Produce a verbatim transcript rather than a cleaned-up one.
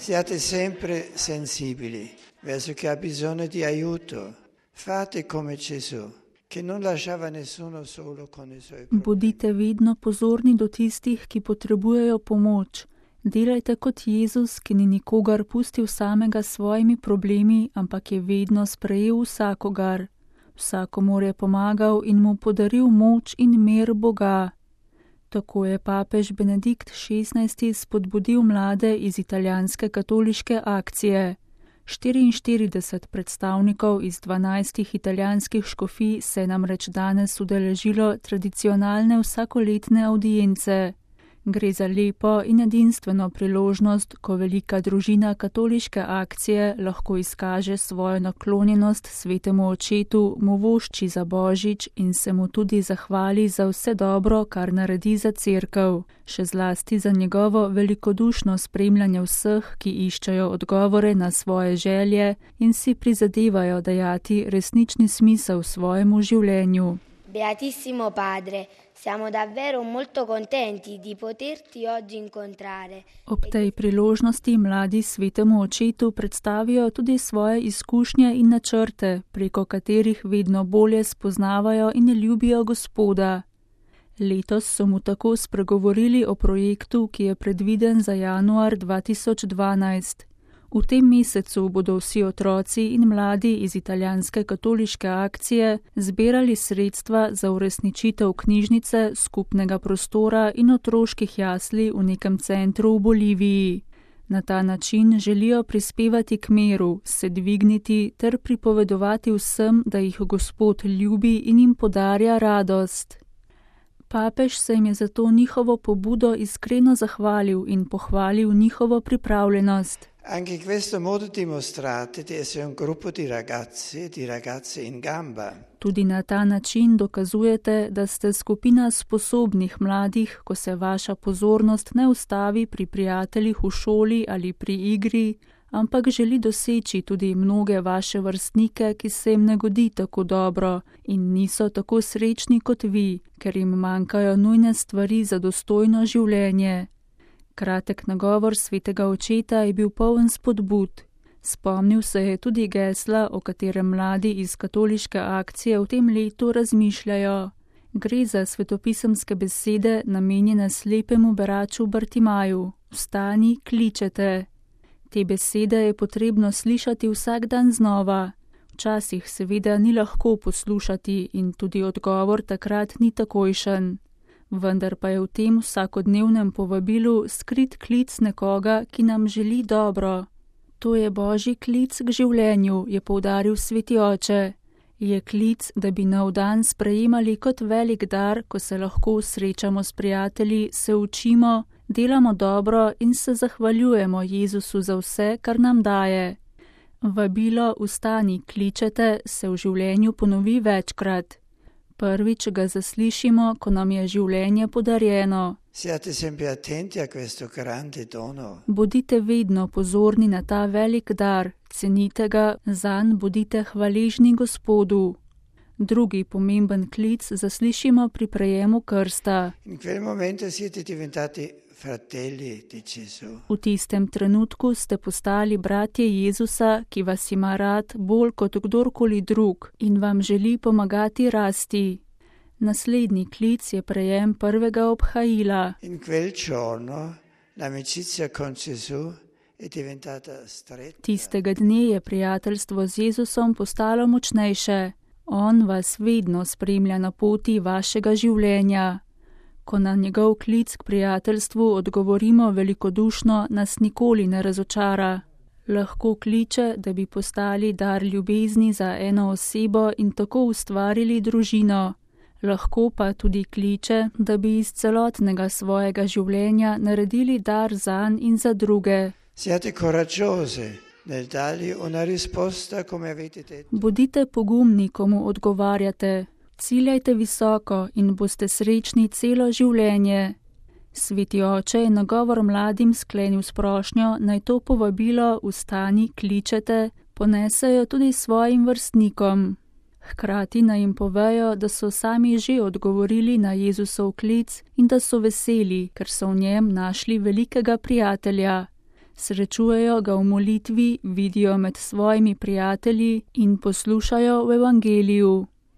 Siate sempre sensibili verso chi ha bisogno di aiuto. Fate come Gesù, che non lasciava nessuno solo con i suoi problemi. Bodite vedno pozorni do tistih, ki potrebujejo pomoč. Delajte kot Jezus, ki ni nikogar pustil samega s svojimi problemi, ampak je vedno sprejel vsakogar. Vsakomur je pomagal in mu podaril moč in mir Boga. Tako je papež Benedikt šestnajsti spodbudil mlade iz italijanske katoliške akcije. štiriinštirideset predstavnikov iz dvanajstih italijanskih škofij se je namreč danes udeležilo tradicionalne vsakoletne avdience. Gre za lepo in edinstveno priložnost, ko velika družina katoliške akcije lahko izkaže svojo naklonjenost svetemu očetu, mu vošči za Božič in se mu tudi zahvali za vse dobro, kar naredi za cerkev, še zlasti za njegovo velikodušno spremljanje vseh, ki iščejo odgovore na svoje želje in si prizadevajo dajati resnični smisel svojemu življenju. Beatissimo Padre, siamo davvero molto contenti di poterti oggi incontrare. Ob tej priložnosti mladi svetemu očetu predstavijo tudi svoje izkušnje in načrte, preko katerih vedno bolje spoznavajo in ljubijo Gospoda. Letos so mu tako spregovorili o projektu, ki je predviden za januar dva tisoč dvanajst. V tem mesecu bodo vsi otroci in mladi iz italijanske katoliške akcije zbirali sredstva za uresničitev knjižnice, skupnega prostora in otroških jasli v nekem centru v Boliviji. Na ta način želijo prispevati k miru, se dvigniti ter pripovedovati vsem, da jih Gospod ljubi in jim podarja radost. Papež se jim je za to njihovo pobudo iskreno zahvalil in pohvalil njihovo pripravljenost. Anche in questo modo dimostrate di essere un gruppo di ragazzi e di ragazze in gamba. Tudi na ta način dokazujete, da ste skupina sposobnih mladih, ko se vaša pozornost ne ustavi pri prijateljih v šoli ali pri igri, ampak želi doseči tudi mnoge vaše vrstnike, ki se jim ne godi tako dobro in niso tako srečni kot vi, ker jim manjkajo nujne stvari za dostojno življenje. Kratek nagovor svetega očeta je bil poln spodbud. Spomnil se je tudi gesla, o katerem mladi iz katoliške akcije v tem letu razmišljajo. Gre za svetopisemske besede namenjene slepemu beraču Bartimaju. Vstani, kličete. Te besede je potrebno slišati vsak dan znova. Včasih seveda ni lahko poslušati in tudi odgovor takrat ni takojšen. Vendar pa je v tem vsakodnevnem povabilu skrit klic nekoga, ki nam želi dobro. To je Božji klic k življenju, je poudaril sveti oče. Je klic, da bi nov dan sprejemali kot velik dar, ko se lahko srečamo s prijatelji, se učimo, delamo dobro in se zahvaljujemo Jezusu za vse, kar nam daje. Vabilo vstani, kličete se v življenju ponovi večkrat. Prvič ga zaslišimo, ko nam je življenje podarjeno. Siate sempre attenti a questo grande dono. Bodite vedno pozorni na ta velik dar, cenite ga, zanj bodite hvaležni Gospodu. Drugi pomemben klic zaslišimo pri prejemu krsta. In quel momento siete diventati fratelli di Gesù. V tistem trenutku ste postali bratje Jezusa, ki vas ima rad bolj kot kdorkoli drug in vam želi pomagati rasti. Naslednji klic je prejem prvega obhajila. In quel giorno l'amicizia con Gesù è diventata stretta. Tistega dne je prijateljstvo z Jezusom postalo močnejše. On vas vedno spremlja na poti vašega življenja. Ko na njegov klic k prijateljstvu odgovorimo velikodušno, nas nikoli ne razočara. Lahko kliče, da bi postali dar ljubezni za eno osebo in tako ustvarili družino. Lahko pa tudi kliče, da bi iz celotnega svojega življenja naredili dar zanj in za druge. Siate coraggiose nel dargli una risposta come avete detto. Bodite pogumni, komu odgovarjate. Ciljajte visoko in boste srečni celo življenje. Sveti oče je nagovor mladim sklenil s prošnjo, naj to povabilo vstani, kličete, ponesejo tudi svojim vrstnikom. Hkrati naj jim povejo, da so sami že odgovorili na Jezusov klic in da so veseli, ker so v njem našli velikega prijatelja. Srečujejo ga v molitvi, vidijo med svojimi prijatelji in poslušajo v evangeliju.